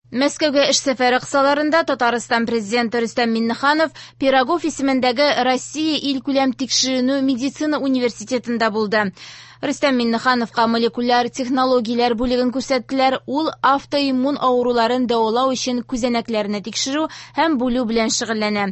Мәскәүгә эш сәфәре кысаларында Татарстан Президенты Рөстәм Миңнеханов Пирогов исемендәге Россия илкүләм тикшеренү медицина университетында булды. Рөстәм Миңнехановка молекуляр технологияләр бүлеген күрсәттеләр. Ул автоиммун авыруларын дәвалау өчен күзәнәкләрне тикшерү һәм бүлү белән шөгыльләнә.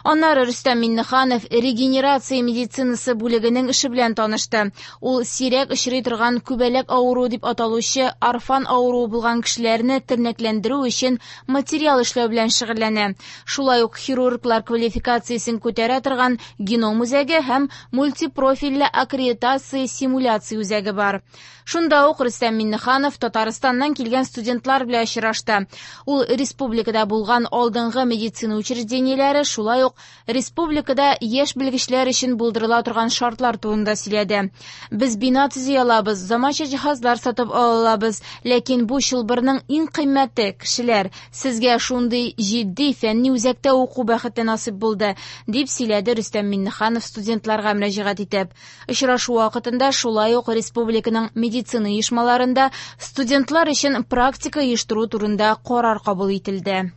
Аннары Рөстәм Миңнеханов регенерация медицинасы бүлегенең эше белән танышты. Ул сирәк очрый торган күбәләк авыруы дип аталучы орфан авыруы булган кешеләрне тернәкләндерү өчен материал эшләү белән шөгыльләнә. Шулай ук хирурглар квалификациясен күтәрә торган геном үзәге һәм мультипрофильле аккредитация симуляция үзәге бар. Шунда ук Рөстәм Миңнеханов Татарстаннан килгән студентлар белән очрашты. Ул республикада булган алдынгы медицина учреждениеләре, шулай ук республикада яшь белгечләр өчен булдырыла торган шартлар турында сөйләде. Без бина төзи алабыз, заманча җиһазлар сатып ала алабыз, ләкин бу чылбырның иң кыйммәте кешеләр. Сезгә шундый җитди фәнни үзәктә уку бәхете насыйп булды, дип сөйләде Рөстәм Миңнеханов студентларга мөрәҗәгать итеп. Очрашу вакытында шулай ук республиканың медицина оешмаларында студентлар өчен практика оештыру турында карар кабул ителде.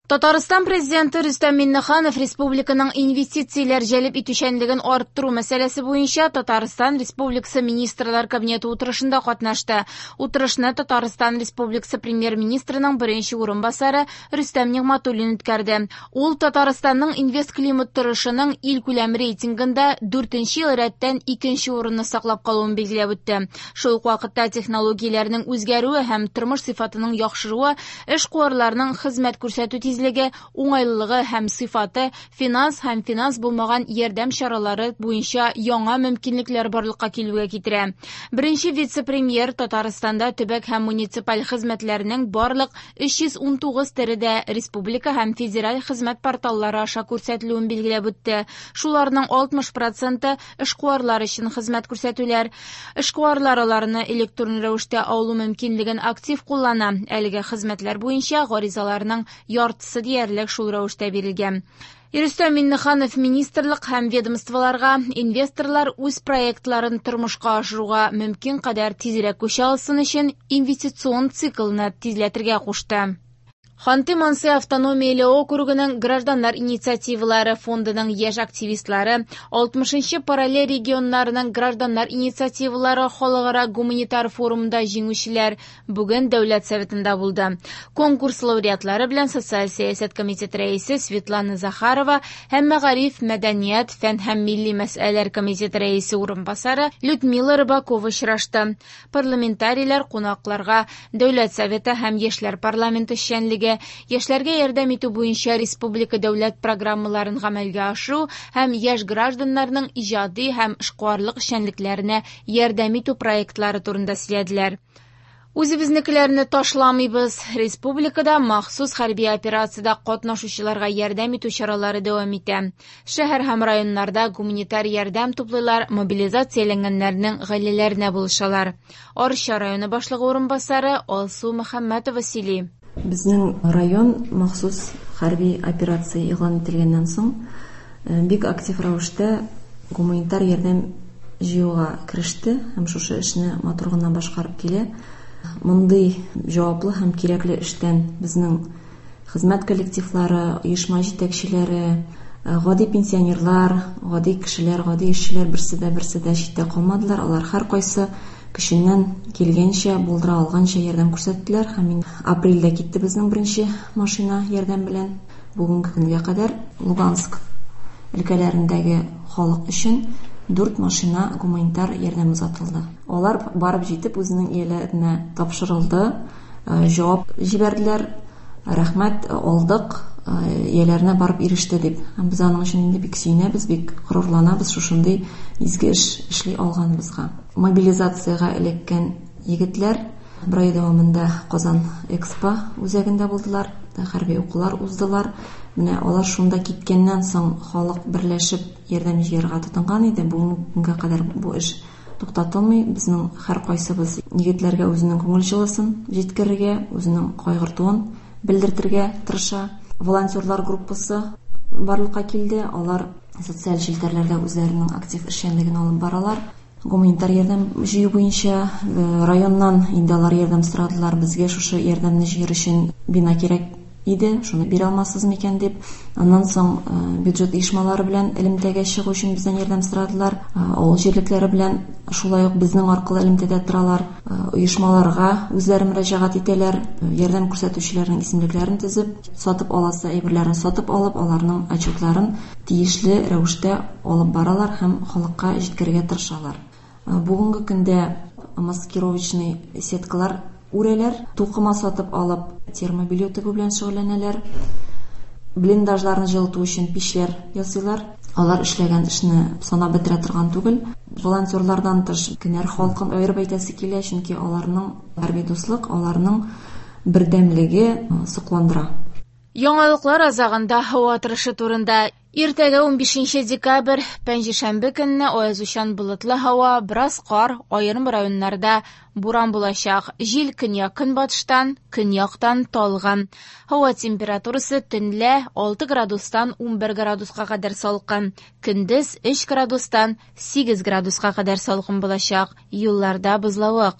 Татарстан Президенты Рөстәм Миңнеханов республиканың инвестицияләр җәлеп итүчәнлеген арттыру мәсьәләсе буенча Татарстан Республикасы Министрлар Кабинеты утырышында катнашты. Утырышны Татарстан Республикасы Премьер-министрының беренче урынбасары Рөстәм Нигъмәтуллин үткәрде. Ул Татарстанның инвестклимат торышының илкүләм рейтингында 4нче ел рәттән 2нче урынны саклап калуын билгеләп үтте. Шул ук вакытта технологияләрнең үзгәрүе һәм тормыш сыйфатының яхшыруы эшкуарларның хезмәт күрсәтү тизлеге, уңайлылыгы һәм сыйфаты, финанс һәм финанс булмаган ярдәм чаралары буенча яңа мөмкинлекләр барлыкка килүгә китерә. Беренче вице-премьер Татарстанда төбәк һәм муниципаль хезмәтләрнең барлык 319 төре дә республика һәм федераль хезмәт порталлары аша күрсәтелүен билгеләп үтте. Шуларның 60% эшкуарлар өчен хезмәт күрсәтүләр. Эшкуарлар аларны электрон рәвештә алу мөмкинлеген актив куллана. Әлеге хезмәтләр буенча гаризаларның яртысы диярлек шул рәвештә бирелгән. Рөстәм Миңнеханов министрлык һәм ведомстволарга инвесторлар үз проектларын тормышка ашыруга мөмкин кадәр тизрәк күчә алсын өчен инвестицион циклны тизләтергә кушты. Ханты-Манси автономияле округының гражданнар инициативалары фондының яшь активистлары 60-нчы параллель регионнарының гражданнар инициативалары халыкара гуманитар форумында җиңүчеләр бүген Дәүләт Советында булды. Конкурс лауреатлары белән Социаль сәясәт комитеты рәисе Светлана Захарова һәм Мәгариф, мәдәният, фән һәм милли мәсьәләләр комитеты рәисе урынбасары Людмила Рыбакова очрашты. Парламентарийлар кунакларга Дәүләт Советы һәм Яшьләр парламенты эшчәнлеге, яшьләргә ярдәм итү буенча республика дәүләт программаларын гамәлгә ашыру һәм яшь гражданнарның иҗади һәм эшкуарлык эшчәнлекләренә ярдәм итү проектлары турында сөйләделәр. Үзебезнекеләрне ташламыйбыз. Республикада махсус хәрби операциядә катнашучыларга ярдәм итү чаралары дәвам итә. Шәһәр һәм районнарда гуманитар ярдәм туплыйлар, мобилизацияләнгәннәрнең гаиләләренә булышалар. Арча районы башлыгы урынбасары Алсу Мөхәммәтова сөйли. Безнең район махсус хәрби операция игълан ителгәннән соң бик актив рәвештә гуманитар ярдәм җыюга кереште һәм шушы эшне матур гына башкарып килә. Мондый җаваплы һәм кирәкле эштән безнең хезмәт коллективлары, оешма җитәкчеләре, гади пенсионерлар, гади кешеләр, гади эшчеләр берсе дә берсе дә читтә калмадылар. Алар һәркайсы көченнән килгәнчә, булдыра алганча ярдәм күрсәттеләр. Һәм инде апрельдә китте безнең беренче машина ярдәм белән. Бүгенге көнгә кадәр Луганск өлкәләрендәге халык өчен 4 машина гуманитар ярдәм озатылды. Алар барып җитеп үзенең ияләренә тапшырылды, җавап җибәрделәр, рәхмәт, алдык, ияләренә барып иреште дип. Һәм без аның өчен инде бик сөенәбез, бик горурланабыз шушындый изге эш эшли алганыбызга. Мобилизациягә эләккән егетләр бер ай дәвамында Казан Экспо үзәгендә булдылар, хәрби укулар уздылар. Менә алар шунда киткәннән соң халык берләшеп ярдәм җыярга тотынган иде. Бүгенге көнгә кадәр бу эш туктатылмый. Безнең һәркайсыбыз егетләргә үзенең күңел җылысын җиткерергә, үзенең кайгыртуын белдертергә тырыша. Волонтерлар группасы барлыкка килде. Алар социаль челтәрләрдә үзләренең актив эшчәнлеген алып баралар. Гуманитар ярдәм җыю буенча районнан инде алар ярдәм сорадылар. Безгә шушы ярдәмне җыер өчен бина кирәк иде, шуны бирә алмассыз микән дип. Аннан соң бюджет оешмалары белән элемтәгә чыгу өчен бездән ярдәм сорадылар. Авыл җирлекләре белән шулай ук безнең аркылы элемтәдә торалар. Оешмаларга үзләре мөрәҗәгать итәләр, ярдәм күрсәтүчеләрнең исемлекләрен төзеп, сатып аласы әйберләрен сатып алып, аларның отчетларын тиешле рәвештә алып баралар һәм халыкка җиткерергә тырышалар. Бүгенге көндә маскировочный сеткалар үрәләр, тукыма сатып алып, термобелье тегү белән шөгыльләнәләр. Блиндажларны җылыту өчен пичләр ясыйлар. Алар эшләгән эшне санап бетерә торган түгел. Волонтерлардан тыш Кенәр халкын аерып әйтәсе килә, чөнки аларның хәрби дуслык, аларның бердәмлеге сокландыра. Яңалыклар азагында һава торышы турында. Иртәгә 15 декабрь, пәнҗешәмбе көнне аязучан болытлы һава, бераз кар, аерым районнарда буран булачак. Җил көньяк-көнбатыштан, көньяктан талгын. Һава температурасы төнлә 6 градустан 11 градуска кадәр салкын. Көндез 3 градустан 8 градуска кадәр салкын булачак. Юлларда бозлавык.